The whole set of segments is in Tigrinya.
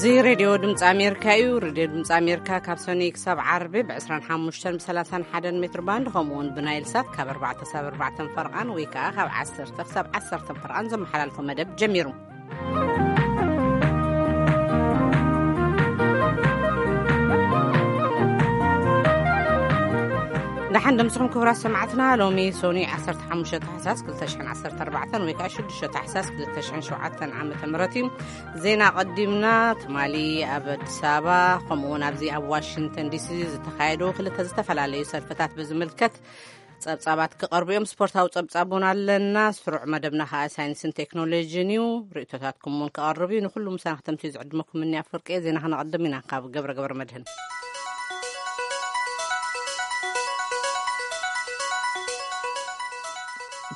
እዚ ሬድዮ ድምፂ ኣሜሪካ እዩ። ሬድዮ ድምፂ ኣሜሪካ ካብ ሰኑይ ክሳብ ዓርቢ ብ ዕስራን ሓሙሽተን ብ ሰላሳን ሓደን ሜትር ባንድ፣ ከምኡ እውን ብናይል ሳት ካብ ኣርባዕተ ክሳብ ኣርባዕተ ፈርቓን ወይ ከዓ ካብ ዓሰርተ ክሳብ ዓሰርተ ፈርቓን ዘመሓላልፎ መደብ ጀሚሩ። ደሓን ደምስኹም ክቡራት ሰማዕትና። ሎሚ ሶኒ ዓሰርተ ሓሙሽተ ታሕሳስ ክልተ ሽሕን ዓሰርተ ኣርባዕተን ወይ ከዓ ሽዱሽተ ታሕሳስ ክልተ ሽሕን ሸውዓተን ዓመተ ምህረት እዩ። ዜና ቀዲምና። ትማሊ ኣብ ኣዲስ ኣበባ ከምኡ እውን ኣብዚ ኣብ ዋሽንግተን ዲሲ ዝተኻየዱ ክልተ ዝተፈላለዩ ሰልፍታት ብዝምልከት ጸብጻባት ክቐርቡ እዮም። ስፖርታዊ ጸብጻብ እውን ኣለና። ስሩዕ መደብና ከዓ ሳይንስን ቴክኖሎጂን እዩ። ርእቶታትኩም እውን ክቐርብ እዩ። ንኩሉ ምሳና ክተምትዩ ዝዕድመኩም እኒ ኣፍወርቂ። ዜና ክነቐድም ኢና ካብ ገብረ ገብረ መድህን።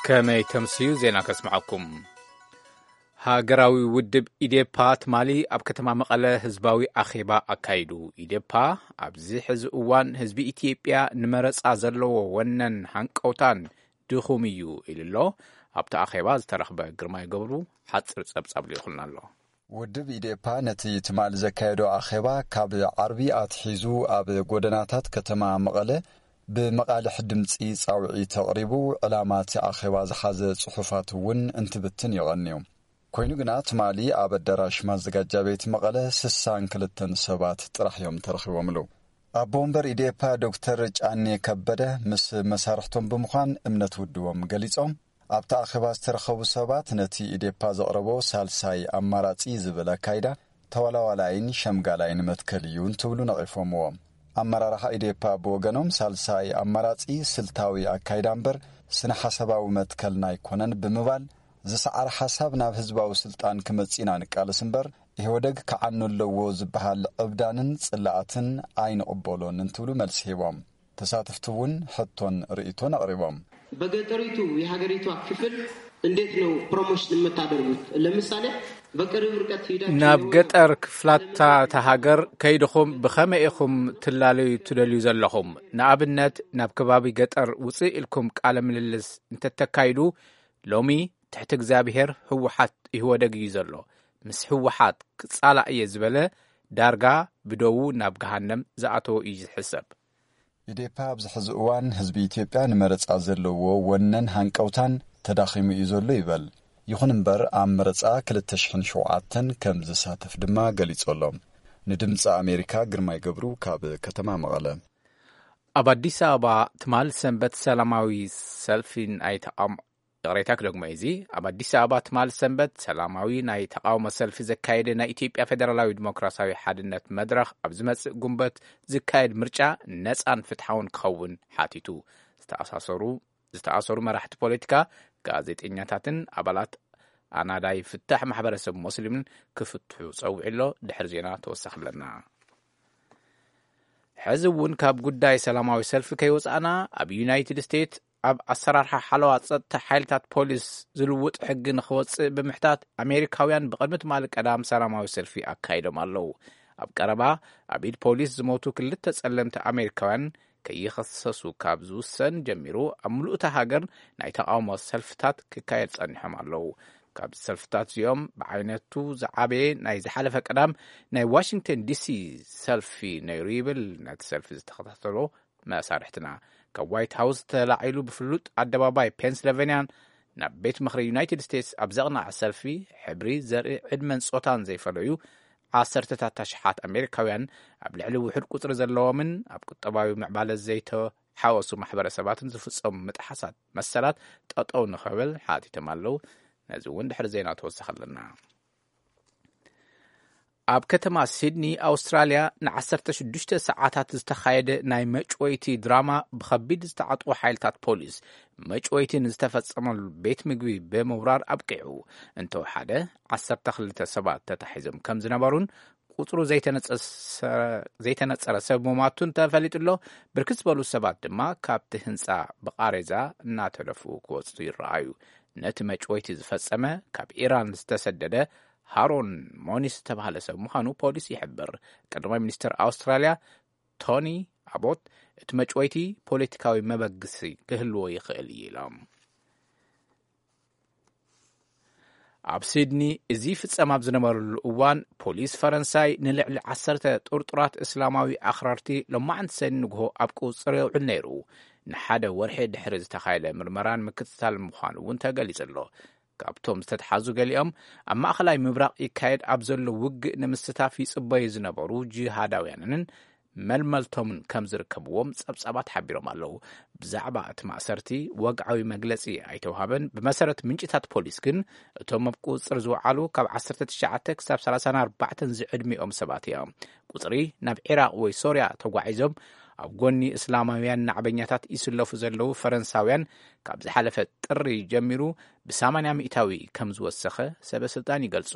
ከመይ ተምስዩ ዜና ከስምዓኩም። ሃገራዊ ውድብ ኢዴፓ ትማሊ ኣብ ከተማ መቐለ ህዝባዊ ኣኼባ ኣካይዱ። ኢዴፓ ኣብዚ ሕዚ እዋን ህዝቢ ኢትዮጵያ ንመረጻ ዘለዎ ወነን ሃንቀውታን ድኹም እዩ ኢሉ ኣሎ። ኣብቲ ኣኼባ ዝተረኽበ ግርማይ ገብሩ ሓጽር ጸብጻብ ልኢኹልና ኣሎ። ውድብ ኢዴፓ ነቲ ትማሊ ዘካየዶ ኣኼባ ካብ ዓርቢ ኣትሒዙ ኣብ ጎደናታት ከተማ መቐለ ብመቓልሕ ድምፂ ፃውዒት ኣቕሪቡ፣ ዕላማ እቲ ኣኼባ ዝሓዘ ፅሑፋት እውን እንትብትን ይቐንዩ። ኮይኑ ግና ትማሊ ኣብ ኣዳራሽ ማዘጋጃ ቤት መቐለ ስሳን ክልተን ሰባት ጥራሕ እዮም ተረኺቦምሉ። ኣቦ ወንበር ኢዴፓ ዶክተር ጫኔ ከበደ ምስ መሳርሕቶም ብምዃን እምነት ውድቦም ገሊጾም፣ ኣብቲ ኣኼባ ዝተረኸቡ ሰባት ነቲ ኢዴፓ ዘቕረቦ ሳልሳይ ኣማራጺ ዝብል ኣካይዳ ተዋላዋላይን ሸምጋላይን መትከል እዩ እንትብሉ ነቒፎምዎ። ኣመራርሓ ኢዴፓ ብወገኖም ሳልሳይ ኣማራጺ ስልታዊ ኣካይዳ እምበር ስነ ሓሳባዊ መትከልና ኣይኮነን ብምባል፣ ዝሰዓረ ሓሳብ ናብ ህዝባዊ ስልጣን ክመጽእ ኢና ንቃለስ እምበር ኢህወደግ ክዓኑ ኣለዎ ዝበሃል ዕብዳንን ጽላኣትን ኣይንቕበሎን እንትብሉ መልሲ ሂቦም። ተሳተፍቲ እውን ሕቶን ርእይቶን ኣቕሪቦም። በገጠሪቱ የሀገሪቷ ክፍል እንዴት ነው ፕሮሞሽን የምታደርጉት? ለምሳሌ በቅርብ ርቀት ሂዳችሁ ናብ ገጠር ክፍላታ እታ ሃገር ከይድኹም ብኸመይ ኢኹም ትላለዩ ትደልዩ ዘለኹም? ንኣብነት ናብ ከባቢ ገጠር ውፅእ ኢልኩም ቃለ ምልልስ እንተተካይዱ፣ ሎሚ ትሕቲ እግዚኣብሔር ህወሓት ኢህወደግ እዩ ዘሎ፣ ምስ ህወሓት ክፃላእ እየ ዝበለ ዳርጋ ብደዉ ናብ ገሃነም ዝኣተወ እዩ ዝሕሰብ። ኢዴፓ ኣብዚ ሕዚ እዋን ህዝቢ ኢትዮጵያ ንመረፃ ዘለዎ ወነን ሃንቀውታን ተዳኺሙ እዩ ዘሎ ይበል። ይኹን እምበር ኣብ መረፃ ክልተ ሽሕን ሸውዓተን ከም ዝሳተፍ ድማ ገሊጹ ኣሎ። ንድምፂ ኣሜሪካ ግርማይ ገብሩ ካብ ከተማ መቐለ። ኣብ ኣዲስ ኣበባ ትማል ሰንበት ሰላማዊ ሰልፊ ናይ ተቃውሞ፣ ይቕሬታ ክደግሞ እዚ፣ ኣብ ኣዲስ ኣበባ ትማል ሰንበት ሰላማዊ ናይ ተቃውሞ ሰልፊ ዘካየደ ናይ ኢትዮጵያ ፌደራላዊ ዲሞክራሲያዊ ሓድነት መድረኽ ኣብ ዝመጽእ ጉንበት ዝካየድ ምርጫ ነጻን ፍትሓውን ክኸውን ሓቲቱ። ዝተኣሳሰሩ ዝተኣሰሩ መራሕቲ ፖለቲካ፣ ጋዜጠኛታትን ኣባላት ኣናዳይ ፍታሕ ማሕበረሰብ ሞስሊምን ክፍትሑ ጸዊዑ ኣሎ። ድሕሪ ዜና ተወሳኺ ኣለና። ሕዚ እውን ካብ ጉዳይ ሰላማዊ ሰልፊ ከይወጻእና፣ ኣብ ዩናይትድ ስቴትስ ኣብ ኣሰራርሓ ሓለዋ ጸጥታ ሓይልታት ፖሊስ ዝልውጥ ሕጊ ንኽወጽእ ብምሕታት ኣሜሪካውያን ብቕድሚ ትማሊ ቀዳም ሰላማዊ ሰልፊ ኣካይዶም ኣለዉ። ኣብ ቀረባ ኣብ ኢድ ፖሊስ ዝሞቱ ክልተ ጸለምቲ ኣሜሪካውያን ከይኸሰሱ ካብ ዝውሰን ጀሚሩ ኣብ ምሉእ እታ ሃገር ናይ ተቓውሞ ሰልፍታት ክካየድ ጸኒሖም ኣለዉ። ካብ ሰልፍታት እዚኦም ብዓይነቱ ዝዓበየ ናይ ዝሓለፈ ቀዳም ናይ ዋሽንግተን ዲሲ ሰልፊ ነይሩ ይብል ነቲ ሰልፊ ዝተኸታተሎ መሳርሕትና። ካብ ዋይት ሃውስ ተላዒሉ ብፍሉጥ ኣደባባይ ፔንስልቨንያን ናብ ቤት ምኽሪ ዩናይትድ ስቴትስ ኣብ ዘቕንዐ ሰልፊ፣ ሕብሪ፣ ዘርኢ፣ ዕድመን ጾታን ዘይፈለዩ ዓሰርተታት ኣሽሓት ኣሜሪካውያን ኣብ ልዕሊ ውሑድ ቁጽሪ ዘለዎምን ኣብ ቁጠባዊ ምዕባለ ዘይተሓወሱ ማሕበረሰባትን ዝፍጸሙ ምጥሓሳት መሰላት ጠጠው ንኽብል ሓቲቶም ኣለዉ። ነዚ እውን ድሕሪ ዜና ተወሳኺ ኣለና። ኣብ ከተማ ሲድኒ ኣውስትራልያ ንዓሰርተ ሽዱሽተ ሰዓታት ዝተኻየደ ናይ መጭወይቲ ድራማ ብኸቢድ ዝተዓጥቑ ሓይልታት ፖሊስ መጭወይቲ ንዝተፈጸመሉ ቤት ምግቢ ብምውራር ኣብቂዑ። እንተወሓደ ዓሰርተ ክልተ ሰባት ተታሒዞም ከም ዝነበሩን ቁጽሩ ዘይተነጸሰ-፣ ዘይተነጸረ ሰብ ምሟቱን ተፈሊጡ ኣሎ። ብርክት ዝበሉ ሰባት ድማ ካብቲ ህንጻ ብቃሬዛ እናተደፍኡ ክወጹ ይረኣዩ። ነቲ መጭወይቲ ዝፈጸመ ካብ ኢራን ዝተሰደደ ሃሮን ሞኒስ ዝተባህለ ሰብ ምዃኑ ፖሊስ ይሕብር። ቀዳማይ ሚኒስትር ኣውስትራልያ ቶኒ ኣቦት እቲ መጭወይቲ ፖለቲካዊ መበግሲ ክህልዎ ይኽእል እዩ ኢሎም። ኣብ ሲድኒ እዚ ፍጸም ኣብ ዝነበረሉ እዋን፣ ፖሊስ ፈረንሳይ ንልዕሊ ዓሰርተ ጥርጡራት እስላማዊ ኣኽራርቲ ሎማዕንቲ ሰኒ ንግሆ ኣብ ቁጽሪ የውዕል ነይሩ። ንሓደ ወርሒ ድሕሪ ዝተኻየደ ምርመራን ምክትታል ምዃኑ እውን ተገሊጹ ኣሎ። ካብቶም ዝተትሓዙ ገሊኦም፣ ኣብ ማእኸላይ ምብራቕ ይካየድ ኣብ ዘሎ ውግእ ንምስታፍ ይጽበዩ ዝነበሩ ጂሃዳውያንን መልመልቶምን ከም ዝርከብዎም ጸብጻባት ሓቢሮም ኣለዉ። ብዛዕባ እቲ ማእሰርቲ ወግዓዊ መግለጺ ኣይተውሃበን። ብመሰረት ምንጭታት ፖሊስ ግን፣ እቶም ኣብ ቁጽር ዝወዓሉ ካብ ዓሰርተ ትሽዓተ ክሳብ ሰላሳን ኣርባዕተን ዝዕድሚኦም ሰባት እዮም። ቁጽሪ ናብ ዒራቕ ወይ ሶርያ ተጓዒዞም ኣብ ጎኒ እስላማውያን ናዕበኛታት ይስለፉ ዘለዉ ፈረንሳውያን፣ ካብ ዝሓለፈ ጥሪ ጀሚሩ ብ80% ከም ዝወሰኸ ሰበ ስልጣን ይገልጹ።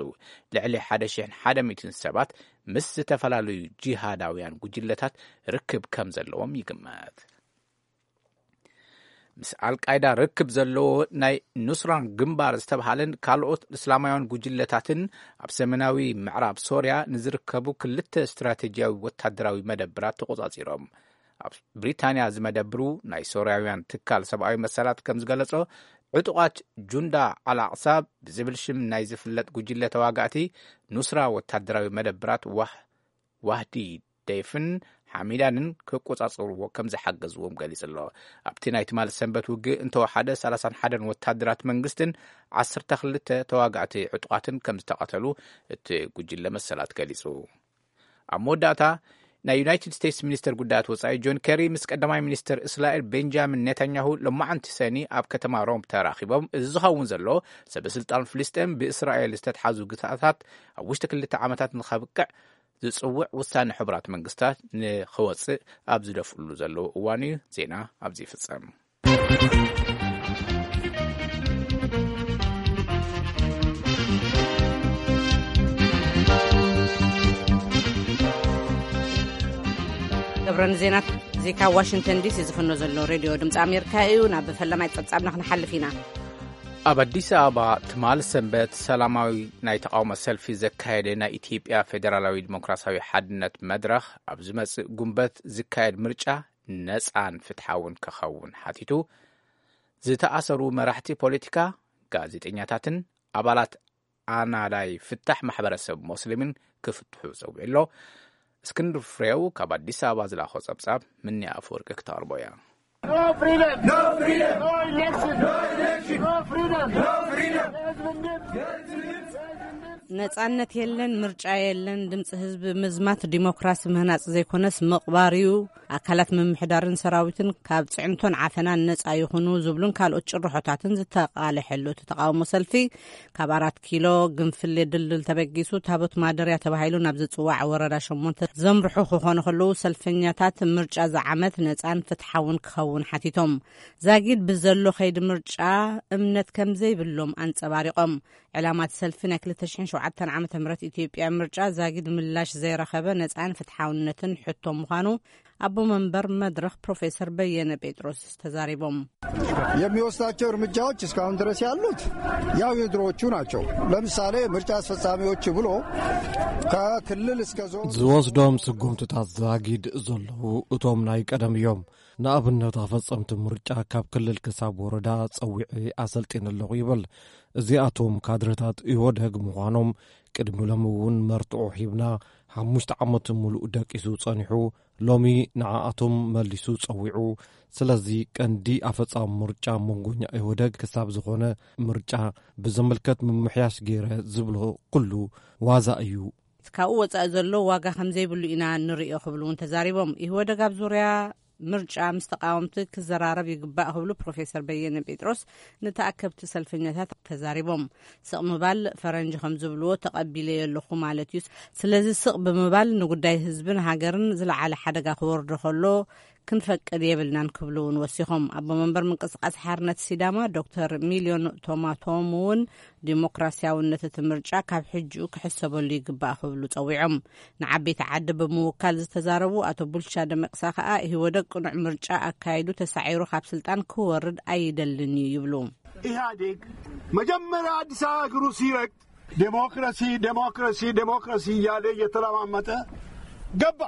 ልዕሊ ሓደ ሽሕን ሓደ ሚእትን ሰባት ምስ ዝተፈላለዩ ጂሃዳውያን ጉጅለታት ርክብ ከም ዘለዎም ይግመት። ምስ ኣልቃይዳ ርክብ ዘለዎ ናይ ኑስራን ግንባር ዝተብሃለን ካልኦት እስላማውያን ጉጅለታትን ኣብ ሰሜናዊ ምዕራብ ሶርያ ንዝርከቡ ክልተ ስትራቴጂያዊ ወታደራዊ መደብራት ተቖጻጺሮም። ኣብ ብሪታንያ ዝመደብሩ ናይ ሶርያውያን ትካል ሰብኣዊ መሰላት ከም ዝገለጾ፣ ዕጡቓት ጁንዳ ኣልኣቕሳ ብዝብል ሽም ናይ ዝፍለጥ ጉጅለ ተዋጋእቲ ኑስራ ወታደራዊ መደብራት ዋህ-፣ ዋህዲ ደይፍን ሓሚዳንን ክቆጻጸርዎ ከም ዝሓገዝዎም ገሊጹ ኣሎ። ኣብቲ ናይ ትማሊ ሰንበት ውግእ እንተወሓደ፣ ሰላሳን ሓደን ወታደራት መንግስትን ዓሰርተ ክልተ ተዋጋእቲ ዕጡቓትን ከም ዝተቐተሉ እቲ ጉጅለ መሰላት ገሊጹ። ኣብ መወዳእታ፣ ናይ ዩናይትድ ስቴትስ ሚኒስተር ጉዳያት ወጻኢ ጆን ኬሪ ምስ ቀዳማይ ሚኒስተር እስራኤል ቤንጃሚን ኔታንያሁ ሎማዓንቲ ሰኒ ኣብ ከተማ ሮም ተራኺቦም። እዚ ዝኸውን ዘሎ፣ ሰበ ስልጣን ፍልስጤም ብእስራኤል ዝተትሓዙ ግዛታት ኣብ ውሽጢ ክልተ ዓመታት ንኸብቅዕ ዝጽውዕ ውሳነ ሕቡራት መንግስታት ንኸወጽእ ኣብ ዝደፍእሉ ዘለዉ እዋን እዩ። ዜና ኣብዚ ይፍጸም። ገብረን ዜናት፣ እዚ ካብ ዋሽንግተን ዲሲ ዝፍኖ ዘሎ ሬድዮ ድምፂ ኣሜሪካ እዩ። ናብ ፈለማይ ጸብጻብና ክንሓልፍ ኢና። ኣብ ኣዲስ ኣበባ ትማል ሰንበት ሰላማዊ ናይ ተቃውሞ ሰልፊ ዘካየደ ናይ ኢትዮጵያ ፌደራላዊ ዲሞክራሲያዊ ሓድነት መድረኽ፣ ኣብ ዝመጽእ ጉንበት ዝካየድ ምርጫ ነጻን ፍትሓውን ክኸውን ሓቲቱ፣ ዝተኣሰሩ መራሕቲ ፖለቲካ፣ ጋዜጠኛታትን ኣባላት ኣናላይ ፍታሕ ማሕበረሰብ ሞስሊምን ክፍትሑ ጸዊዑ ኣሎ። እስክንድር ፍሬው ካብ ኣዲስ ኣበባ ዝላኾ ጸብጻብ፣ ምንያ ኣፈወርቂ ክተቕርቦ እያ። No freedom! No freedom! No election! No election! No freedom! No freedom! ነጻነት የለን፣ ምርጫ የለን፣ ድምፂ ህዝቢ ምዝማት ዲሞክራሲ ምህናፅ ዘይኮነስ ምቕባር እዩ። ኣካላት ምምሕዳርን ሰራዊትን ካብ ፅዕንቶን ዓፈናን ነፃ ይኹኑ ዝብሉን ካልኦት ጭርሖታትን ዝተቓለሐሉ እቲ ተቃውሞ ሰልፊ፣ ካብ ኣራት ኪሎ ግንፍሌ ድልድል ተበጊሱ ታቦት ማደርያ ተባሂሉ ናብ ዝፅዋዕ ወረዳ ሸሞንተ ዘምርሑ ክኾኑ ከለዉ፣ ሰልፈኛታት ምርጫ ዝዓመት ነፃን ፍትሓውን ክኸውን ሓቲቶም። ዛጊድ ብዘሎ ከይዲ ምርጫ እምነት ከም ዘይብሎም ኣንጸባሪቖም። ዕላማ እቲ ሰልፊ፣ ናይ ክልተ ሽሕን ሸውዓተን ዓመተ ምህረት ኢትዮጵያ ምርጫ ዛጊድ ምላሽ ዘይረኸበ ነፃን ፍትሓውነትን ሕቶ ምዃኑ ኣቦ መንበር መድረኽ ፕሮፌሰር በየነ ጴጥሮስ ተዛሪቦም። የሚወስዳቸው እርምጃዎች እስካሁን ድረስ ያሉት ያው የድሮዎቹ ናቸው። ለምሳሌ ምርጫ አስፈጻሚዎች ብሎ ከክልል እስከ ዞን ዝወስዶም ስጉምትታት ዛጊድ ዘለዉ እቶም ናይ ቀደም እዮም። ንኣብነት፣ ኣፈጸምቲ ምርጫ ካብ ክልል ክሳብ ወረዳ ጸዊዐ ኣሰልጢነ ኣለኹ ይብል። እዚኣቶም ካድረታት ኢህወደግ ምዃኖም ቅድሚ ሎሚ እውን መርትዖ ሂብና፣ ሓሙሽተ ዓመት ምሉእ ደቂሱ ጸኒሑ፣ ሎሚ ንዓኣቶም መሊሱ ጸዊዑ። ስለዚ ቀንዲ ኣፈጻሚ ምርጫ መንጎኛ ኢህወደግ ክሳብ ዝኾነ፣ ምርጫ ብዝምልከት ምምሕያሽ ገይረ ዝብሎ ኩሉ ዋዛ እዩ። ካብኡ ወጻኢ ዘሎ ዋጋ ከም ዘይብሉ ኢና ንርእዮ ክብሉ እውን ተዛሪቦም። ኢህወደግ ኣብ ዙርያ ምርጫ ምስ ተቃወምቲ ክዘራረብ ይግባእ ክብሉ ፕሮፌሰር በየነ ጴጥሮስ ንተኣከብቲ ሰልፈኛታት ተዛሪቦም። ስቕ ምባል፣ ፈረንጂ ከም ዝብልዎ፣ ተቐቢለዮ ኣለኹ ማለት እዩ። ስለዚ ስቕ ብምባል ንጉዳይ ህዝብን ሃገርን ዝለዓለ ሓደጋ ክወርዶ ከሎ ክንፈቅድ የብልናን ክብሉ እውን ወሲኾም። ኣቦ መንበር ምንቅስቃስ ሓርነት ሲዳማ ዶክተር ሚልዮን ቶማቶም እውን ዲሞክራሲያውነት እቲ ምርጫ ካብ ሕጂኡ ክሕሰበሉ ይግባእ ክብሉ ጸዊዖም። ንዓበይቲ ዓዲ ብምውካል ዝተዛረቡ ኣቶ ቡልቻ ደመቅሳ ከኣ፣ ኢህወደግ ቅኑዕ ምርጫ ኣካይዱ ተሳዒሩ ካብ ስልጣን ክወርድ ኣይደልን እዩ ይብሉ። ኢህአዴግ መጀመሪያ አዲስ አበባ እግሩ ሲረግጥ ዴሞክራሲ፣ ዴሞክራሲ፣ ዴሞክራሲ እያለ እየተለማመጠ ገባ።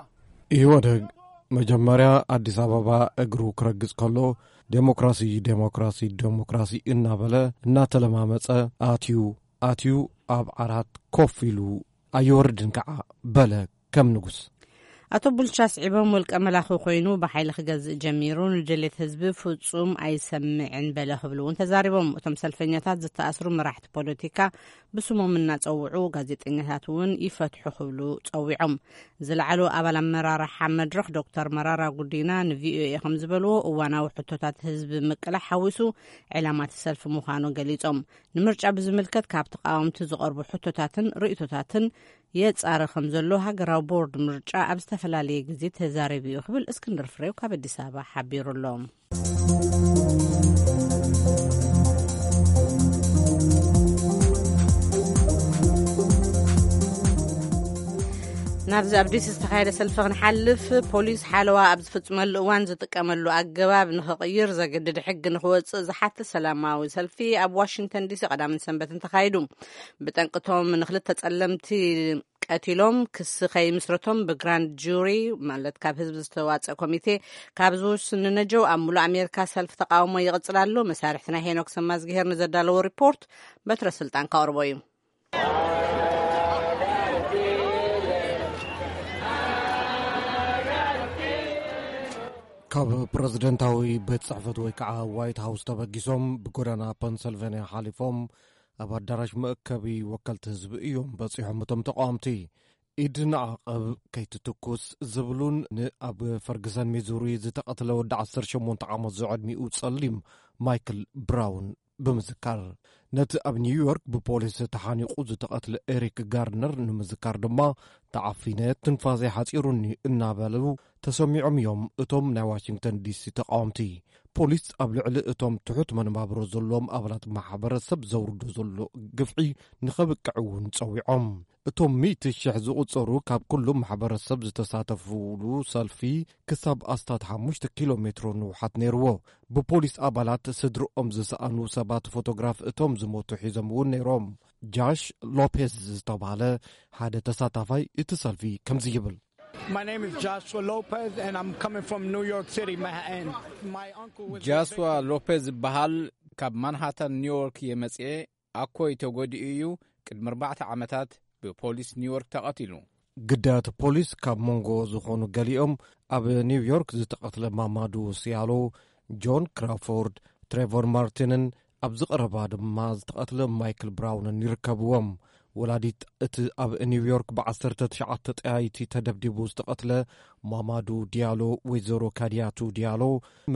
ኢህወደግ መጀመርያ ኣዲስ ኣበባ እግሩ ክረግጽ ከሎ፣ ዴሞክራሲ፣ ዴሞክራሲ፣ ዴሞክራሲ እናበለ እናተለማመጸ ኣትዩ። ኣትዩ ኣብ ዓራት ኮፍ ኢሉ ኣይወርድን ከዓ በለ ከም ንጉስ። ኣቶ ቡልቻ ስዒቦም ውልቀ መላኺ ኮይኑ ብሓይሊ ክገዝእ ጀሚሩ ንድሌት ህዝቢ ፍጹም ኣይሰምዕን በለ ክብሉ እውን ተዛሪቦም። እቶም ሰልፈኛታት ዝተኣስሩ መራሕቲ ፖለቲካ ብስሞም እናጸውዑ ጋዜጠኛታት እውን ይፈትሑ ክብሉ ጸዊዖም። ዝለዓሉ ኣባል ኣመራርሓ መድረኽ ዶክተር መራራ ጉዲና ንቪኦኤ ከም ዝበልዎ እዋናዊ ሕቶታት ህዝቢ ምቅላሕ ሓዊሱ ዕላማ እቲ ሰልፊ ምዃኑ ገሊጾም። ንምርጫ ብዝምልከት ካብ ተቃወምቲ ዝቐርቡ ሕቶታትን ርእቶታትን የጻሪ ከም ዘሎ ሃገራዊ ቦርድ ምርጫ ኣብ ዝተፈላለየ ግዜ ተዛሪቡ እዩ ክብል እስክንድር ፍሬው ካብ ኣዲስ ኣበባ ሓቢሩ ኣሎ። ናብዚ ኣብ ዲሲ ዝተኻየደ ሰልፊ ክንሓልፍ፣ ፖሊስ ሓለዋ ኣብ ዝፍጽመሉ እዋን ዝጥቀመሉ ኣገባብ ንኽቕይር ዘገድድ ሕጊ ንኽወጽእ ዝሓትት ሰላማዊ ሰልፊ ኣብ ዋሽንግተን ዲሲ ቀዳምን ሰንበትን ተኻይዱ። ብጠንቅቶም ንክልተ ጸለምቲ ቀቲሎም ክሲ ከይምስረቶም ብግራንድ ጁሪ፣ ማለት ካብ ህዝቢ ዝተዋጸ ኮሚቴ፣ ካብ ዝውስን ንነጀው ኣብ ሙሉእ ኣሜሪካ ሰልፊ ተቃውሞ ይቕጽል ኣሎ። መሳርሕትና ሄኖክ ሰማዝግሄር ንዘዳለዎ ሪፖርት በትረ ስልጣን ከቕርቦ እዩ። ካብ ፕረዚደንታዊ ቤት ጽሕፈት ወይ ከዓ ዋይት ሃውስ ተበጊሶም ብጎዳና ፐንሰልቬንያ ሓሊፎም ኣብ ኣዳራሽ መእከቢ ወከልቲ ህዝቢ እዮም በጺሖም። እቶም ተቃወምቲ ኢድ ንዓቐብ ከይትትኩስ ዝብሉን ንኣብ ፈርግሰን ሚዙሪ ዝተቐትለ ወዲ ዓሰርተ ሸሞንተ ዓመት ዝዕድሚኡ ጸሊም ማይክል ብራውን ብምዝካር፣ ነቲ ኣብ ኒውዮርክ ብፖሊስ ተሓኒቑ ዝተቐትለ ኤሪክ ጋርድነር ንምዝካር ድማ፣ ተዓፊነ ትንፋሰይ ሓጺሩኒ እናበሉ ተሰሚዖም እዮም እቶም ናይ ዋሽንግተን ዲሲ ተቃወምቲ። ፖሊስ ኣብ ልዕሊ እቶም ትሑት መነባብሮ ዘለዎም ኣባላት ማሕበረሰብ ዘውርዶ ዘሎ ግፍዒ ንኸብቅዕ እውን ጸዊዖም። እቶም ሚእቲ ሽሕ ዝቑጸሩ ካብ ኩሉ ማሕበረሰብ ዝተሳተፉሉ ሰልፊ ክሳብ ኣስታት ሓሙሽተ ኪሎ ሜትሮ ንውሓት ነይርዎ። ብፖሊስ ኣባላት ስድርኦም ዝሰኣኑ ሰባት ፎቶግራፍ እቶም ዝሞቱ ሒዞም እውን ነይሮም። ጃሽ ሎፔዝ ዝተባህለ ሓደ ተሳታፋይ እቲ ሰልፊ ከምዚ ይብል። My name is Joshua Lopez, and I'm coming from New York City, Manhattan. My uncle was ጃስዋ ሎፔዝ ዝበሃል፣ ካብ ማንሃታን ኒውዮርክ እየ መጽኤ። ኣኮይ ተጎዲኡ እዩ። ቅድሚ ኣርባዕተ ዓመታት ብፖሊስ ኒውዮርክ ተቐቲሉ። ግዳያት ፖሊስ ካብ መንጎ ዝኾኑ ገሊኦም ኣብ ኒውዮርክ ዝተቐትለ ማማዱ ሲያሎ፣ ጆን ክራፎርድ፣ ትሬቮር ማርቲንን ኣብዚ ቀረባ ድማ ዝተቐትለ ማይክል ብራውንን ይርከብዎም። ወላዲት እቲ ኣብ ኒውዮርክ ብዓሰርተ ትሽዓተ ጠያይቲ ተደብዲቡ ዝተቐትለ ማማዱ ዲያሎ፣ ወይዘሮ ካዲያቱ ዲያሎ፣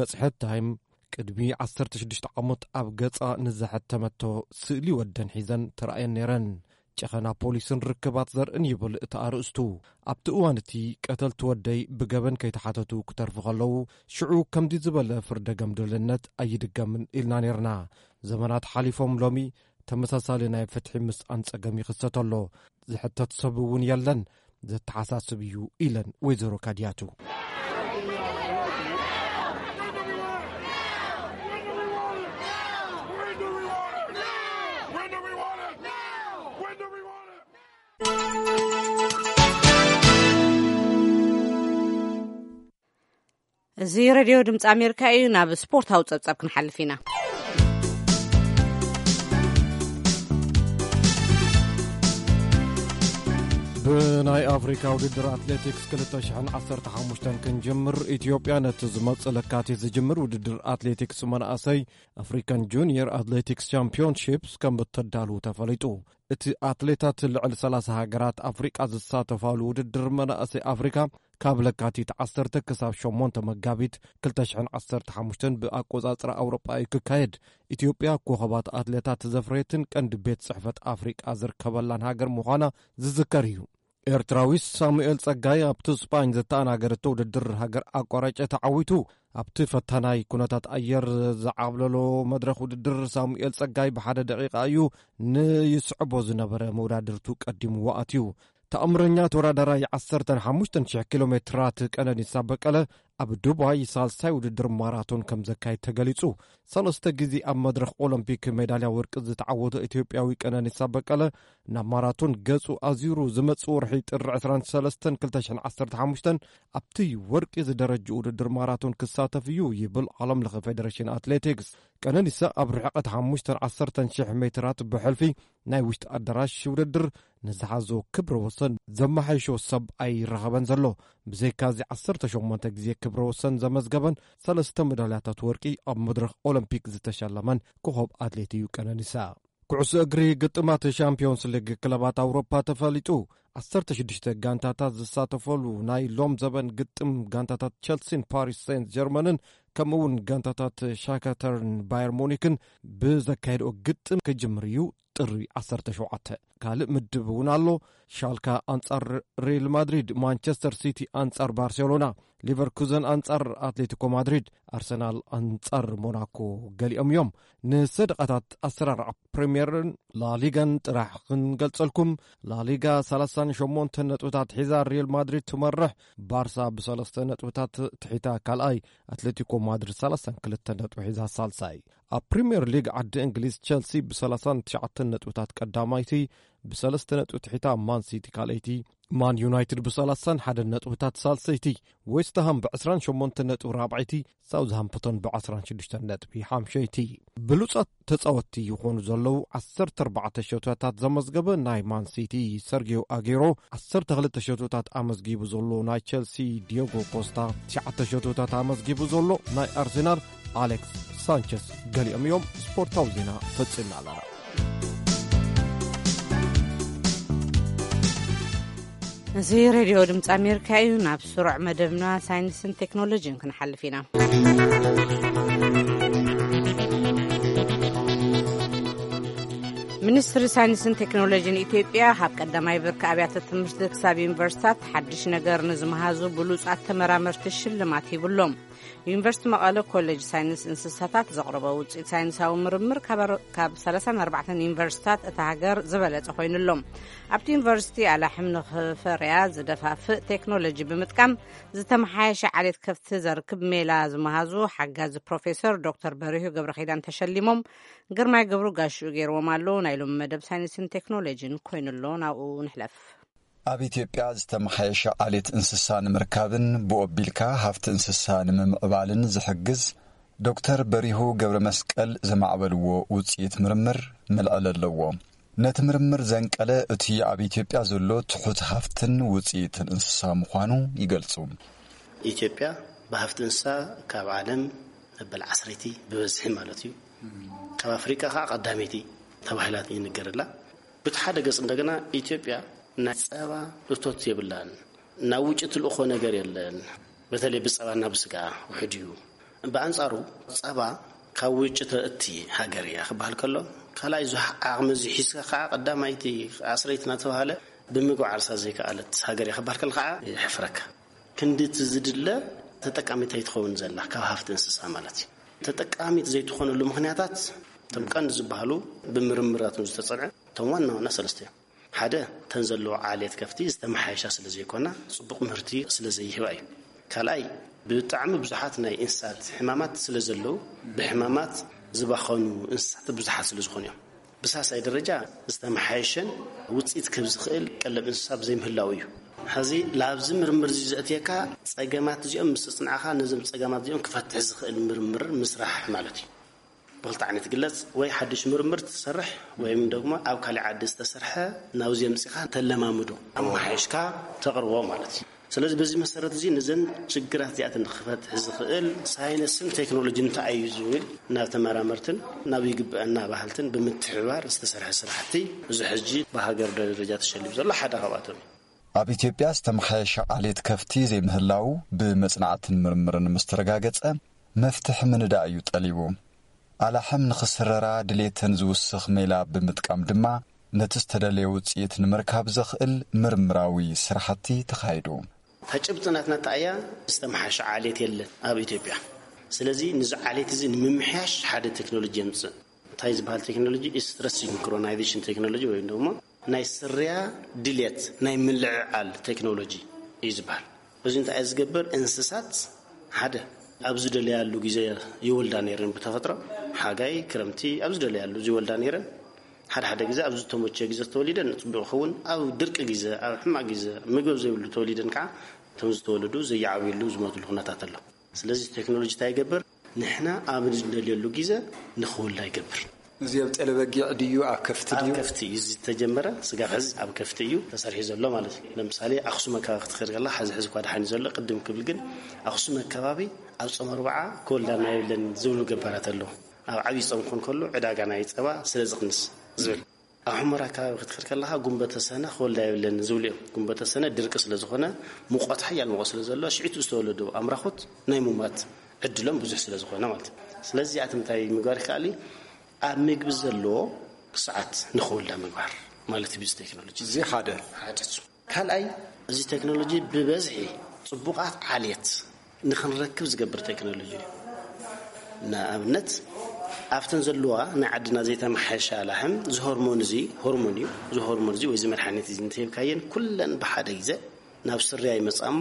መጽሔት ታይም ቅድሚ ዓሰርተ ሽዱሽተ ዓመት ኣብ ገጻ ንዘሐተመቶ ስእሊ ወደን ሒዘን ተራእየን ነይረን። ጨኸና ፖሊስን ርክባት ዘርእን ይብል እቲ ኣርእስቱ። ኣብቲ እዋን እቲ ቀተልቲ ወደይ ብገበን ከይተሓተቱ ክተርፉ ከለዉ፣ ሽዑ ከምዚ ዝበለ ፍርደ ገምድልነት ኣይድገምን ኢልና ነይርና። ዘመናት ሓሊፎም ሎሚ ተመሳሳሊ ናይ ፍትሒ ምስኣን ጸገም ይኽሰት ኣሎ። ዝሕተት ሰብ እውን የለን። ዘተሓሳስብ እዩ ኢለን ወይዘሮ ካዲያቱ። እዚ ሬድዮ ድምፂ ኣሜሪካ እዩ። ናብ ስፖርታዊ ጸብጻብ ክንሓልፍ ኢና። ብናይ ኣፍሪካ ውድድር ኣትሌቲክስ ክልተ ሽሕን ዓሰርተ ሓሙሽተን ክንጅምር፣ ኢትዮጵያ ነቲ ዝመጽእ ለካቲት ዝጅምር ውድድር ኣትሌቲክስ መናእሰይ ኣፍሪካን ጁኒየር ኣትሌቲክስ ቻምፒዮንሺፕስ ከም እተዳሉ ተፈሊጡ። እቲ ኣትሌታት ልዕሊ ሰላሳ ሃገራት ኣፍሪቃ ዝሳተፋሉ ውድድር መናእሰይ ኣፍሪካ ካብ ለካቲት ዓሰርተ ክሳብ ሸሞንተ መጋቢት ክልተ ሽሕን ዓሰርተ ሓሙሽተን ብኣቆጻጽራ ኣውሮጳ እዩ ክካየድ። ኢትዮጵያ ኮኸባት ኣትሌታት ዘፍረየትን ቀንዲ ቤት ጽሕፈት ኣፍሪቃ ዝርከበላን ሃገር ምዃና ዝዝከር እዩ። ኤርትራዊ ሳሙኤል ጸጋይ ኣብቲ ስጳኝ ዘተኣናገረቶ ውድድር ሃገር ኣቋራጨ ተዓዊቱ። ኣብቲ ፈታናይ ኩነታት ኣየር ዝዓብለሎ መድረኽ ውድድር ሳሙኤል ጸጋይ ብሓደ ደቂቃ እዩ ንይስዕቦ ዝነበረ መወዳድርቱ ቀዲምዎ ኣትዩ። ተኣምረኛ ተወዳዳራይ ዓሰርተ ሓሙሽተ ሽሕ ኪሎ ሜትራት ቀነኒሳ በቀለ ኣብ ዱባይ ሳልሳይ ውድድር ማራቶን ከም ዘካይድ ተገሊጹ። ሰለስተ ግዜ ኣብ መድረኽ ኦሎምፒክ ሜዳልያ ወርቂ ዝተዓወተ ኢትዮጵያዊ ቀነኒሳ በቀለ ናብ ማራቶን ገጹ ኣዚሩ ዝመጽእ ወርሒ ጥሪ ዕስራን ሰለስተን ክልተ ሽሕን ዓሰርተ ሓሙሽተን ኣብቲ ወርቂ ዝደረጅ ውድድር ማራቶን ክሳተፍ እዩ ይብል ዓለም ለኸ ፌደሬሽን ኣትሌቲክስ። ቀነኒሳ ኣብ ርሕቀት ሓሙሽተን ዓሰርተን ሽሕ ሜትራት ብሕልፊ ናይ ውሽጢ ኣዳራሽ ውድድር ንዝሓዞ ክብረ ወሰን ዘመሓይሾ ሰብ ኣይረኸበን ዘሎ። ብዘይካዚ ዓሰርተ ሸሞንተ ግዜ ክብረ ወሰን ዘመዝገበን ሰለስተ መዳልያታት ወርቂ ኣብ መድረኽ ኦሎምፒክ ዝተሸለመን ኮኸብ ኣትሌት እዩ ቀነኒሳ። ኩዕሶ እግሪ ግጥማት ሻምፒዮንስ ሊግ ክለባት ኣውሮፓ ተፈሊጡ። ዓሰርተ ሽዱሽተ ጋንታታት ዝሳተፈሉ ናይ ሎም ዘበን ግጥም ጋንታታት ቸልሲን ፓሪስ ሴንት ጀርመንን ከምኡ እውን ጋንታታት ሻካተርን ባየር ሙኒክን ብዘካየድኦ ግጥም ክጅምር እዩ። ጥሪ ዓሰርተ ሸውዓተ ካልእ ምድብ እውን ኣሎ። ሻልካ ኣንጻር ሪል ማድሪድ፣ ማንቸስተር ሲቲ ኣንጻር ባርሴሎና፣ ሊቨርኩዘን ኣንጻር ኣትሌቲኮ ማድሪድ፣ ኣርሰናል ኣንጻር ሞናኮ ገሊኦም እዮም። ንሰደቓታት ኣሰራርዓ ፕሪምየርን ላሊጋን ጥራሕ ክንገልጸልኩም። ላሊጋ ሰላሳን ሸሞንተን ነጥብታት ሒዛ ሪል ማድሪድ ትመርሕ። ባርሳ ብሰለስተ ነጥብታት ትሒታ ካልኣይ፣ ኣትሌቲኮ ማድሪድ ሰላሳን ክልተ ነጥቢ ሒዛ ሳልሳይ። ኣብ ፕሪምየር ሊግ ዓዲ እንግሊዝ ቸልሲ ብሰላሳን ትሽዓተን ነጥብታት ቀዳማይቲ፣ ብሰለስተ ነጥቢ ትሒታ ማን ሲቲ ካልኣይቲ፣ ማን ዩናይትድ ብሰላሳን ሓደን ነጥብታት ሳልሰይቲ፣ ዌስትሃም ብዕስራን ሸሞንተን ነጥቢ ራብዓይቲ፣ ሳውዝሃምፕቶን ብዓስራን ሽዱሽተን ነጥቢ ሓምሸይቲ። ብሉጻት ተጻወትቲ ይኾኑ ዘለዉ ዓሰርተ ኣርባዕተ ሸቶታት ዘመዝገበ ናይ ማን ሲቲ ሰርጊዮ ኣጌሮ ዓሰርተ ክልተ ሸቶታት ኣመዝጊቡ ዘሎ፣ ናይ ቸልሲ ዲዮጎ ኮስታ ትሽዓተ ሸቶታት ኣመዝጊቡ ዘሎ፣ ናይ ኣርሴናል ኣሌክስ ሳንቸስ ገሊኦም እዮም። ስፖርታዊ ዜና ፈጺምና ኣለና። እዚ ሬድዮ ድምፂ ኣሜሪካ እዩ። ናብ ስሩዕ መደብና ሳይንስን ቴክኖሎጂን ክንሓልፍ ኢና። ሚኒስትሪ ሳይንስን ቴክኖሎጂን ኢትዮጵያ ካብ ቀዳማይ ብርኪ ኣብያተ ትምህርቲ ክሳብ ዩኒቨርሲታት ሓድሽ ነገር ንዝመሃዙ ብሉጻት ተመራመርቲ ሽልማት ሂብሎም። ዩኒቨርሲቲ መቐለ ኮሌጅ ሳይንስ እንስሳታት ዘቕረቦ ውፅኢት ሳይንሳዊ ምርምር ካብ ኣር-፣ ካብ ሰላሳን ኣርባዕተን ዩኒቨርሲታት እታ ሃገር ዝበለጸ ኮይኑሎም። ኣብቲ ዩኒቨርሲቲ ኣላሕም ንኽፈርያ ዝደፋፍእ ቴክኖሎጂ ብምጥቃም ዝተመሓየሸ ዓሌት ከፍቲ ዘርክብ ሜላ ዝመሃዙ ሓጋዚ ፕሮፌሰር ዶክተር በሪሁ ገብረኺዳን ተሸሊሞም። ግርማይ ገብሩ ጋሽኡ ገይርዎም ኣሎ። ናይ ሎሚ መደብ ሳይንስን ቴክኖሎጂን ኮይኑሎ ናብኡ ንሕለፍ። ኣብ ኢትዮጵያ ዝተመሓየሸ ዓሌት እንስሳ ንምርካብን ብኡ ኣቢልካ ሃፍቲ እንስሳ ንምምዕባልን ዝሕግዝ ዶክተር በሪሁ ገብረ መስቀል ዘማዕበልዎ ውፅኢት ምርምር መልዕሊ ኣለዎ። ነቲ ምርምር ዘንቀለ እቲ ኣብ ኢትዮጵያ ዘሎ ትሑት ሃፍትን ውፅኢትን እንስሳ ምዃኑ ይገልጹ። ኢትዮጵያ ብሃፍቲ እንስሳ ካብ ዓለም መበል ዓሰርይቲ ብበዝሒ ማለት እዩ። ካብ ኣፍሪቃ ከዓ ቀዳመይቲ ተባሂላ ይንገረላ። ብቲ ሓደ ገጽ እንደገና ኢትዮጵያ ናይ ጸባ እቶት የብላን። ናብ ውጭ ትልእኾ ነገር የለን። በተለይ ብጸባ ናብ ስጋ ውሕድ እዩ። ብኣንጻሩ ጸባ ካብ ውጭ ተእቲ ሃገር እያ ክበሃል ከሎ፣ ካልኣይ ዙ ዓቕሚ እዚ ሒዝካ ከዓ ቀዳማይቲ ዓስረይቲ እናተባሃለ ብምግባር ዓርሳ ዘይከኣለት ሃገር እያ ክበሃል ከሎ ከዓ የሕፍረካ። ክንድቲ ዝድለ ተጠቃሚት ኣይትኸውን ዘላ ካብ ሃፍቲ እንስሳ ማለት እዩ። ተጠቃሚት ዘይትኾነሉ ምኽንያታት እቶም ቀንዲ ዝበሃሉ ብምርምራት ዝተጸንዐ እቶም ዋና ዋና ሰለስተ እዮም። ሓደ፣ እተን ዘለዎ ዓሌት ከፍቲ ዝተመሓየሻ ስለ ዘይኮና ጽቡቕ ምህርቲ ስለ ዘይህባ እዩ። ካልኣይ፣ ብጣዕሚ ብዙሓት ናይ እንስሳት ሕማማት ስለ ዘለዉ ብሕማማት ዝባኸኑ እንስሳት ብዙሓት ስለ ዝኾኑ እዮም። ብሳልሳይ ደረጃ ዝተመሓየሸን ውፅኢት ክህብ ዝኽእል ቀለብ እንስሳ ብዘይምህላው እዩ። ሕዚ ላብዚ ምርምር እዚ ዘእትየካ ጸገማት እዚኦም ምስ ጽንዓኻ ነዞም ጸገማት እዚኦም ክፈትሕ ዝኽእል ምርምር ምስራሕ ማለት እዩ። ብኽልተ ዓይነት ግለጽ፣ ወይ ሓድሽ ምርምር ትሰርሕ ወይም ደግሞ ኣብ ካልእ ዓዲ ዝተሰርሐ ናብዚ ኣምጺኻ ተለማምዶ ኣመሓይሽካ ተቕርቦ ማለት እዩ። ስለዚ በዚ መሰረት እዚ ነዘን ችግራት እዚኣተን ክፈትሕ ዝኽእል ሳይንስን ቴክኖሎጂን እንታይ እዩ ዝብል ናብ ተመራመርትን ናብ ይግብአና ባህልትን ብምትሕብባር ዝተሰርሐ ስራሕቲ እዚ ሕጂ ብሃገር ደረጃ ተሸሊሙ ዘሎ ሓደ ካብኣቶም እዩ። ኣብ ኢትዮጵያ ዝተመሓየሸ ዓሌት ከፍቲ ዘይምህላው ብመጽናዕትን ምርምርን ምስ ተረጋገጸ መፍትሒ ምንዳእ እዩ ጠሊቡ። ኣላሕም ንኽስረራ ድሌተን ዝውስኽ ሜላ ብምጥቃም ድማ ነቲ ዝተደለየ ውጽኢት ንምርካብ ዘኽእል ምርምራዊ ስራሕቲ ተኻይዱ። እታ ጭብጢ ናትና እንታይ እያ? ዝተመሓየሸ ዓሌት የለን ኣብ ኢትዮጵያ። ስለዚ ነዚ ዓሌት እዚ ንምምሕያሽ ሓደ ቴክኖሎጂ የምጽእ። እንታይ ዝበሃል ቴክኖሎጂ? ስትረስ ሲንክሮናይዜሽን ቴክኖሎጂ ወይም ደግሞ ናይ ስርያ ድልየት ናይ ምልዕዓል ቴክኖሎጂ እዩ ዝበሃል። እዚ እንታይ እዩ ዝገብር? እንስሳት ሓደ ኣብ ዝደለያሉ ግዜ ይወልዳ ነይረን ብተፈጥሮ፣ ሓጋይ፣ ክረምቲ ኣብ ዝደለያሉ ይወልዳ ነይረን። ሓደ ሓደ ግዜ ኣብ ዝተመቸ ግዜ ተወሊደን ጽቡቕ ይኸውን፣ ኣብ ድርቂ ግዜ፣ ኣብ ሕማቕ ግዜ፣ ምግቢ ዘይብሉ ተወሊደን ከዓ እቶም ዝተወለዱ ዘይዓብዩሉ ዝሞትሉ ኩነታት ኣሎ። ስለዚ ቴክኖሎጂ እንታይ ይገብር? ንሕና ኣብ ንደልየሉ ግዜ ንኽውላ ይገብር። እዚ ኣብ ጤለ በጊዕ ድዩ ኣብ ከፍቲ ኣብ ድዩ? ከፍቲ እዩ ዝተጀመረ። ስጋብ ሕዚ ኣብ ከፍቲ እዩ ተሰሪሑ ዘሎ ማለት እዩ። ለምሳሌ ኣኽሱም ኣካባቢ ክትኸድ ከላ፣ ሕዚ ሕዚ እኳ ደሓን እዩ ዘሎ። ቅድም ክብል ግን ኣኽሱም ኣካባቢ ኣብ ጾም ኣርብዓ ክወልዳና የብለን ዝብሉ ገባራት ኣለዉ። ኣብ ዓብዪ ጾም ክኾን ከሎ ዕዳጋ ናይ ጸባ ስለ ዝቕንስ ዝብል። ኣብ ሑመራ ኣካባቢ ክትኸድ ከለኻ ጉንበተ ሰነ ክወልዳ የብለን ዝብሉ እዮም። ጉንበተ ሰነ ድርቂ ስለ ዝኾነ፣ ሙቐት ሓያል ሙቐት ስለ ዘሎ፣ ሽዒቱ ዝተወለዱ ኣምራኹት ናይ ሙማት ዕድሎም ብዙሕ ስለ ዝኾነ ማለት እዩ። ስለዚ እዚኣቶም እንታይ ምግባር ይከኣል እዩ? ኣብ ምግቢ ዘለዎ ክስዓት ንኽውልዳ ምግባር ማለት እዩ። ብዚ ቴክኖሎጂ እዚ ሓደ ሓደ እሱ። ካልኣይ፣ እዚ ቴክኖሎጂ ብበዝሒ ጽቡቓት ዓሌት ንኽንረክብ ዝገብር ቴክኖሎጂ እዩ። ንኣብነት ኣብተን ዘለዋ ናይ ዓድና ዘይተመሓየሻ ላሕም፣ እዚ ሆርሞን እዚ ሆርሞን እዩ። እዚ ሆርሞን እዚ ወይ እዚ መድሓኒት እዚ እንተሂብካየን፣ ኩለን ብሓደ ግዜ ናብ ስርያ ይመጻ እሞ፣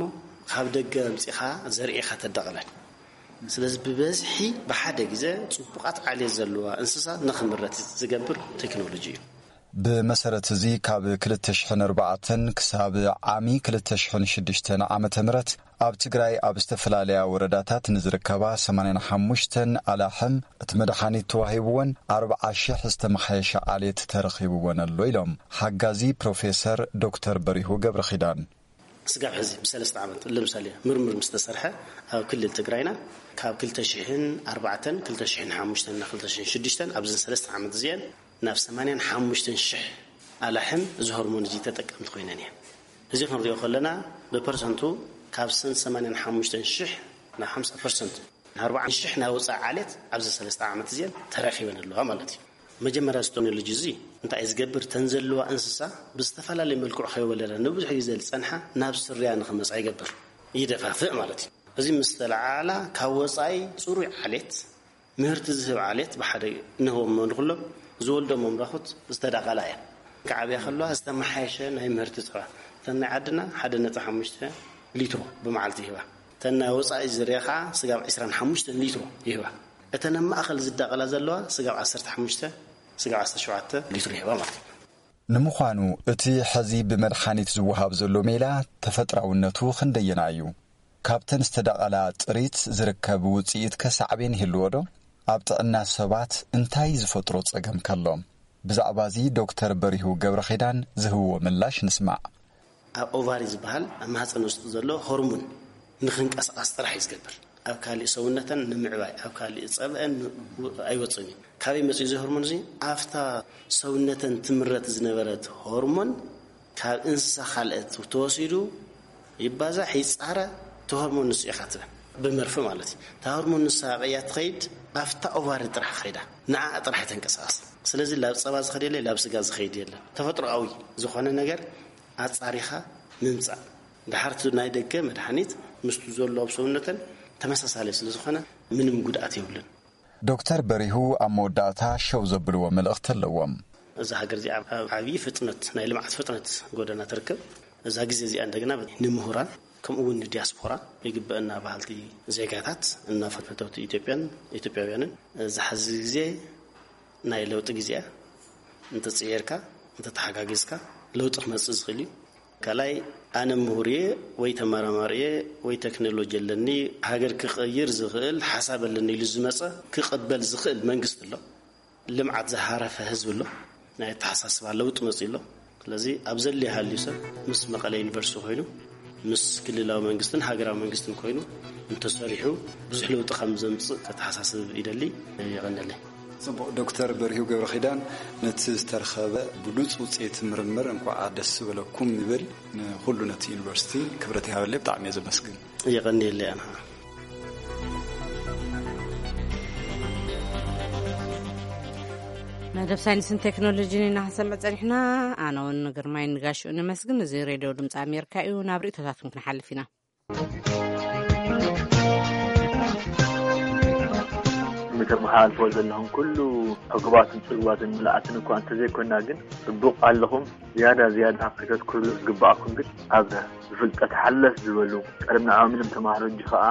ካብ ደገ ኣምጺኻ ዘርኢኻ ተዳቕለን። ስለዚ ብበዝሒ ብሓደ ግዜ ጽቡቓት ዓሌት ዘለዋ እንስሳ ንኽምረት ዝገብር ቴክኖሎጂ እዩ። ብመሰረት እዚ ካብ ክልተ ሽሕን ኣርባዕተን ክሳብ ዓሚ ክልተ ሽሕን ሽዱሽተን ዓመተ ምህረት ኣብ ትግራይ ኣብ ዝተፈላለያ ወረዳታት ንዝርከባ ሰማንያን ሓሙሽተን ኣላሕም እቲ መድሓኒት ተዋሂብወን ኣርብዓ ሽሕ ዝተመሓየሸ ዓሌት ተረኺብወን ኣሎ ኢሎም ሓጋዚ ፕሮፌሰር ዶክተር በሪሁ ገብረኺዳን። ስጋብ ሕዚ ብሰለስተ ዓመት ለምሳሌ ምርምር ምስ ተሰርሐ ኣብ ክልል ትግራይና ካብ ክልተ ሽሕን ኣርባዕተን ክልተ ሽሕን ሓሙሽተን እና ክልተ ሽሕን ሽዱሽተን ኣብዘን ሰለስተ ዓመት እዚአን ናብ ሰማንያን ሓሙሽተን ሽሕ ኣላሕም እዚ ሆርሞን እዚ ተጠቀምቲ ኮይነን እየን። እዚ ክንሪኦ ከለና ብፐርሰንቱ ካብ ሰን ሰማንያን ሓሙሽተን ሽሕ ናብ ሓምሳ ፐርሰንት ኣርባዓ ሽሕ ናይ ወፃኢ ዓሌት ኣብዚ ሰለስተ ዓመት እዚአን ተረኪበን ኣለዋ ማለት እዩ። መጀመርያ እዚ ቴክኖሎጂ እዚ እንታይ እዩ ዝገብር? ተን ዘለዋ እንስሳ ብዝተፈላለየ መልክዑ ከይወለዳ ንብዙሕ ግዜ ዝፀንሓ ናብ ስርያ ንክመፃ ይገብር፣ ይደፋፍእ ማለት እዩ። እዚ ምስ ተለዓላ ካብ ወፃኢ ፅሩይ ዓሌት ምህርቲ ዝህብ ዓሌት ብሓደ ንህቦም ንኩሎም ዝወልዶም መምራኹት ዝተዳቐላ እያ። ክዓብያ ከለዋ ዝተመሓየሸ ናይ ምህርቲ ፀባ እተን ናይ ዓድና ሓደ ነጥቢ ሓሙሽተ ሊትሮ ብመዓልቲ ይህባ። እተን ናይ ወፃኢ ዝርያ ከዓ ስጋብ ዕስራን ሓሙሽተን ሊትሮ ይህባ። እተን ኣብ ማእኸል ዝዳቐላ ዘለዋ ስጋብ ዓሰርተ ሓሙሽተ ስጋብ ዓሰርተ ሸውዓተ ሊትሮ ይህባ ማለት እዩ። ንምዃኑ እቲ ሕዚ ብመድሓኒት ዝወሃብ ዘሎ ሜላ ተፈጥራውነቱ ክንደየና እዩ? ካብተን ዝተዳቐላ ጥሪት ዝርከብ ውፅኢት ከሳዕቤን ይህልዎ ዶ? ኣብ ጥዕና ሰባት እንታይ ዝፈጥሮ ጸገም ከሎ? ብዛዕባ እዚ ዶክተር በሪሁ ገብረኺዳን ዝህብዎ ምላሽ ንስማዕ። ኣብ ኦቫሪ ዝበሃል ኣብ ማህፀን ውስጢ ዘሎ ሆርሞን ንክንቀሳቐስ ጥራሕ እዩ ዝገብር። ኣብ ካሊእ ሰውነተን ንምዕባይ ኣብ ካሊእ ፀብአን ኣይወፅን እዩ። ካበይ መፅኡ እዚ ሆርሞን እዚ? ኣብታ ሰውነተን ትምረት ዝነበረት ሆርሞን ካብ እንስሳ ካልአት ተወሲዱ ይባዛሕ ይፃረ። እቲ ሆርሞን ንሱ ኢኻ ትበ ብመርፊ ማለት እዩ። እታ ሆርሞን ንሳ ቀያ ትኸይድ ኣብታ ኦቫሪ ጥራሕ ከይዳ ንዓ ጥራሕ ተንቀሳቐስ። ስለዚ ላብ ፀባ ዝኸድ የለ ላብ ስጋ ዝኸይድ የለን። ተፈጥሮኣዊ ዝኾነ ነገር ኣጻሪኻ ምምጻእ። ድሓር እቲ ናይ ደገ መድሓኒት ምስቱ ዘሎ ኣብ ሰውነተን ተመሳሳሊ ስለ ዝኾነ ምንም ጉድኣት የብሉን። ዶክተር በሪሁ ኣብ መወዳእታ ሸው ዘብልዎ መልእኽቲ ኣለዎም። እዛ ሃገር እዚኣ ኣብ ዓብዪ ፍጥነት ናይ ልምዓት ፍጥነት ጎደና ትርከብ። እዛ ግዜ እዚኣ እንደገና ንምሁራን ከምኡ እውን ንዲያስፖራ ይግበአና ባህልቲ ዜጋታት እና ፈተውቲ ኢትዮጵያን ኢትዮጵያውያንን እዚ ሓዚ ግዜ ናይ ለውጢ ግዜ እያ። እንተፅዒርካ እንተተሓጋጊዝካ ለውጢ ክመፅእ ዝኽእል እዩ። ካልኣይ ኣነ ምሁር እየ ወይ ተመራማሪ እየ ወይ ቴክኖሎጂ ኣለኒ ሃገር ክቕይር ዝኽእል ሓሳብ ኣለኒ ኢሉ ዝመፀ ክቕበል ዝኽእል መንግስቲ ኣሎ። ልምዓት ዝሃረፈ ህዝቢ ኣሎ። ናይ ኣተሓሳስባ ለውጢ መፅኡ ኣሎ። ስለዚ ኣብ ዘድልዮ ሃልዩ ሰብ ምስ መቐለ ዩኒቨርሲቲ ኮይኑ ምስ ክልላዊ መንግስትን ሃገራዊ መንግስትን ኮይኑ እንተሰሪሑ ብዙሕ ለውጢ ከም ዘምፅእ ከተሓሳስብ ይደሊ። የቐንለይ። ጽቡቕ ዶክተር በሪሁ ገብረ ኪዳን ነቲ ዝተረኸበ ብሉጽ ውጽኢት ምርምር እንኳዓ ደስ ዝበለኩም ይብል። ንኹሉ ነቲ ዩኒቨርሲቲ ክብረት ይሃበለይ። ብጣዕሚ እየ ዘመስግን። የቐንየለይ ኣነ። መደብ ሳይንስን ቴክኖሎጂን ኢና ክንሰምዕ ጸኒሕና። ኣነ እውን ግርማይ ንጋሽኡ ነመስግን። እዚ ሬድዮ ድምፂ ኣሜሪካ እዩ። ናብ ርእቶታትኩም ክንሓልፍ ኢና። ንተመሓላልፎ ዘለኹም ኩሉ ሕጉባትን ጽጉባትን ምልኣትን እኳ እንተዘይኮና ግን ጽቡቕ ኣለኹም። ዝያዳ ዝያዳ ከተትኩርሉ ዝግባኣኩም ግን ኣብ ብፍልጠት ሓለፍ ዝበሉ ቀደም ንዕኦም ኢሎም ተማሃሮ እንጂ ኸኣ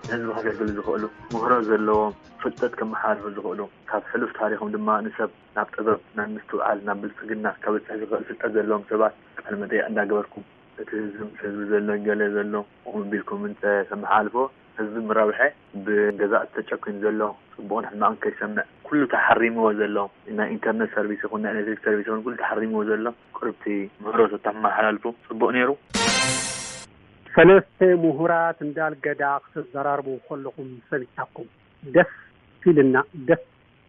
ንህዝቢ ከገልግሉ ዝኽእሉ ምህሮ ዘለዎም ፍልጠት ከመሓላልፉ ዝኽእሉ ካብ ሕሉፍ ታሪኾም ድማ ንሰብ ናብ ጥበብ ናብ ምስትውዓል ናብ ብልጽግና ከበጽሕ ዝኽእል ፍልጠት ዘለዎም ሰባት ቃለ መጠይቕ እንዳገበርኩም እቲ ህዝቢ ምስ ህዝቢ ዘሎ ገለ ዘሎ ከምኡ ቢልኩም እንተ ተመሓላልፎ ህዝቢ ምረብሐ፣ ብገዛእ ተጨኪኑ ዘሎ፣ ጽቡቕን ሕማቕን ከይሰምዕ፣ ኩሉ ተሓሪምዎ ዘሎ፣ ናይ ኢንተርነት ሰርቪስ ይኹን ናይ ኤሌክትሪክ ሰርቪስ ይኹን ኩሉ ተሓሪምዎ ዘሎ፣ ቅርብቲ ምህሮት ተመሓላልፉ ጽቡቕ ነይሩ። ሰለስተ ምሁራት እንዳልገዳ ክትዘራርቡ ከለኹም ሰሚዕናኩም። ደስ ኢልና፣ ደስ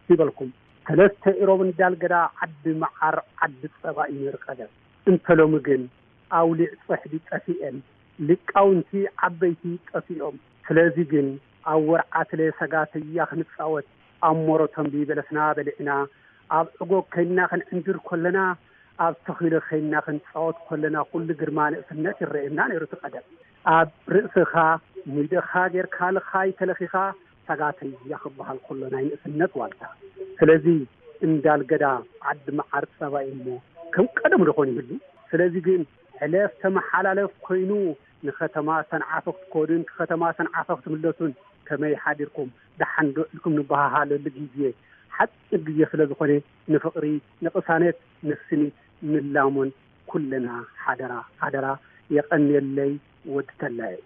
ይበልኩም። ሰለስተ ኢሮብ እንዳልገዳ ዓዲ መዓር፣ ዓዲ ጸባ እዩ ነይሩ ቀደም። እንተ ሎሚ ግን ኣውሊዕ ጽሕዲ ጠፊኤን፣ ሊቃውንቲ ዓበይቲ ጠፊኦም። ስለዚ ግን ኣብ ወርዓትለ ሰጋተያ ክንጻወት፣ ኣብ ሞሮቶምቢ በለስና በሊዕና፣ ኣብ ዕጎግ ከይና ክንዕንድር ከለና፣ ኣብ ተኺሎ ከይና ክንጻወት ከለና፣ ኩሉ ግርማ ንእስነት ይረኤና ነይሩ እቲ ቀደም። ኣብ ርእስኻ ሚደኻ ጌርካ ልኻይ ተለኺኻ፣ ሰጋተያ ክበሃል ከሎ ናይ ንእስነት ዋልታ። ስለዚ እንዳልገዳ ዓዲ መዓር ጸባ እዩ እሞ ከም ቀደሙ ዶ ኾን ይህሉ? ስለዚ ግን ሕለፍ ተመሓላለፍ ኮይኑ ንከተማ ሰንዓ ክትከዱን ንከተማ ሰንዓ ክትምለሱን ከመይ ሓዲርኩም ደሓን ዶ ኢልኩም ንበሃሃለሉ ግዜ ሓፂር ግዜ ስለ ዝኾነ ንፍቕሪ፣ ንቕሳነት፣ ንስኒት ንላሞን ኩልና ሓደራ ሓደራ። የቐንየለይ ወዲ ተላየ።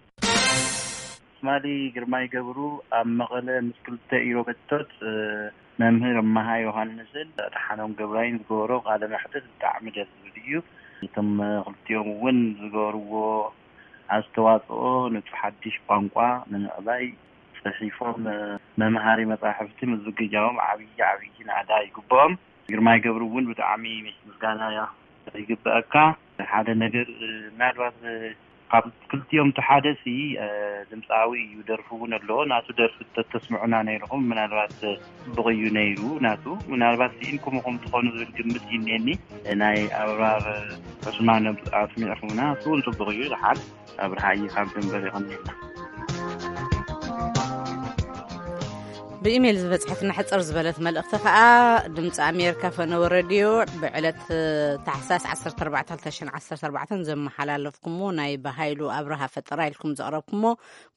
ትማሊ ግርማይ ገብሩ ኣብ መቐለ ምስ ክልተ ኢሮብ ሕቶት፣ እ፣ መምህር እመሃ ዮሃንስን ደሓኖም ገብራይን ዝገበሮ ቃለ መሕትት ብጣዕሚ ደስ ዝብል እዩ። እቶም ክልቲኦም እውን ዝገበርዎ ኣስተዋፅኦ ነቲ ሓድሽ ቋንቋ ንምዕባይ ፅሒፎም፣ እ፣ መምሃሪ መፃሕፍቲ ምዝግጃዎም ዓብዪ ዓብዪ ናእዳ ይግብኦም። ግርማይ ገብሩ እውን ብጣዕሚ ምስጋና ይግበኣካ። ሓደ ነገር፣ እ፣ ምናልባት፣ እ፣ ካብ ክልቲኦም እቲ ሓደ ሲ፣ እ፣ ድምፃዊ እዩ፣ ደርፊ እውን ኣለዎ። ናቱ ደርፊ ተተስምዑና ነይርኹም፣ ምናልባት፣ እ፣ ፅቡቕ እዩ ነይሩ ናቱ። ምናልባት ስኢንኩም ኢኹም ትኾኑ ዝብል ግምት እዩ እኒአኒ። እ፣ ናይ ኣብራር፣ እ፣ ዑስማን ኣስሚዕኹምና፣ እሱ እውን ፅቡቕ እዩ። ደሓን ኣብርሃ እዩ ካብ ደንበር ይቐንየልና። ብኢሜይል ዝበጽሐትና ሕጽር ዝበለት መልእኽቲ ከኣ፣ ድምጺ ኣሜሪካ ፈነወ ሬድዮ ብዕለት ታሕሳስ ዓሰርተ ኣርባዕተ ክልተ ሽሕን ዓሰርተ ኣርባዕተን ዘመሓላለፍኩሞ ናይ ብሃይሉ ኣብርሃ ፈጠራ ኢልኩም ዘቕረብኩሞ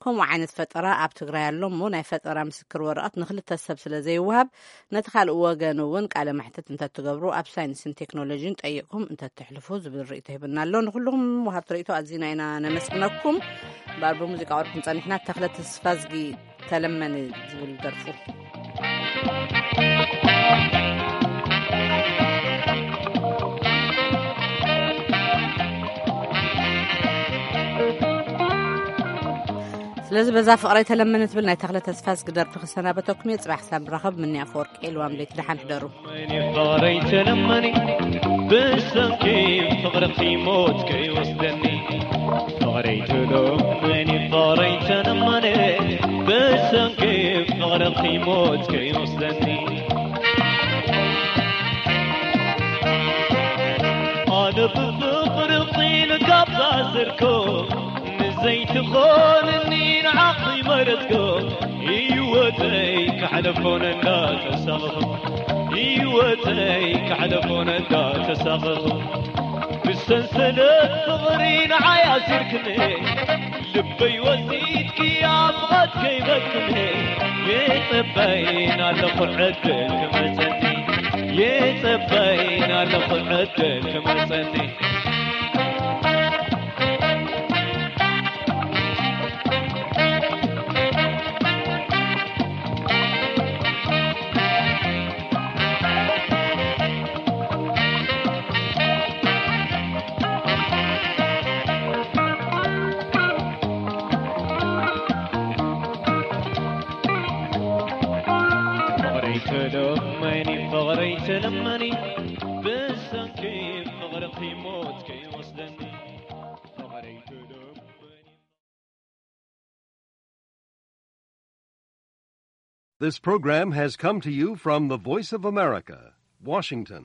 ከምኡ ዓይነት ፈጠራ ኣብ ትግራይ ኣሎ እሞ ናይ ፈጠራ ምስክር ወረቐት ንኽልተ ሰብ ስለ ዘይወሃብ ነቲ ካልእ ወገን እውን ቃለ መሕትት እንተትገብሩ ኣብ ሳይንስን ቴክኖሎጂን ጠይቕኩም እንተትሕልፉ ዝብል ርእይቶ ሂብና ኣሎ። ንኹልኹም ወሃብቲ ርእይቶ ኣዚና ኢና ነመስግነኩም። እምበኣር ብሙዚቃ ወርኩም ጸኒሕና ተኽለ ተስፋዝጊ ተለመኒ ዝብል ደርፉ። ስለዚ በዛ ፍቕረይ ተለመኒ ትብል ናይ ተኽለ ተስፋዝጊ ደርፊ ክሰናበተኩም እየ። ጽባሕ ክሳብ ንራኸብ ምንያ ኣፈወርቂ ልዋም ለይቲ ደሓን ሕደሩ። ፍቕረይ ተለመኒ ብሰንኪ ፍቕርኺ ሞት ከይወስደኒ። ፍቕረይ ተለመኒ ፍቕረይ ተለመኒ ብሰንኪ ፍቕርኺ ሞት ከይወስደኒ። ኣነ ብፍቕርኺ ንጋብዛ ዘርኮ ንዘይትኾንኒ ንዓኺ መረጽኮ። ህይወተይ ከሕለፎ ነዳ ተሳቐኹ። ህይወተይ ከሕለፎ ነዳ ተሳቐኹ። ብሰንሰለት ፍቕሪ ንዓይ ኣሲርክኒ። ልበይ ወሲድኪ ኣብ ቐት ከይበክኒ። የጸበይን ኣለኹ ዕድል ክመጸኒ። የጸበይን ኣለኹ ዕድል ክመጸኒ። ፍቕረይ ተለመኒ፣ ፍቕረይ ተለመኒ፣ ብሰንኪ ፍቕርኺ ሞት ከይወስደኒ። ፍቕረይ ተለመኒ። This program has come to you from the Voice of America, Washington.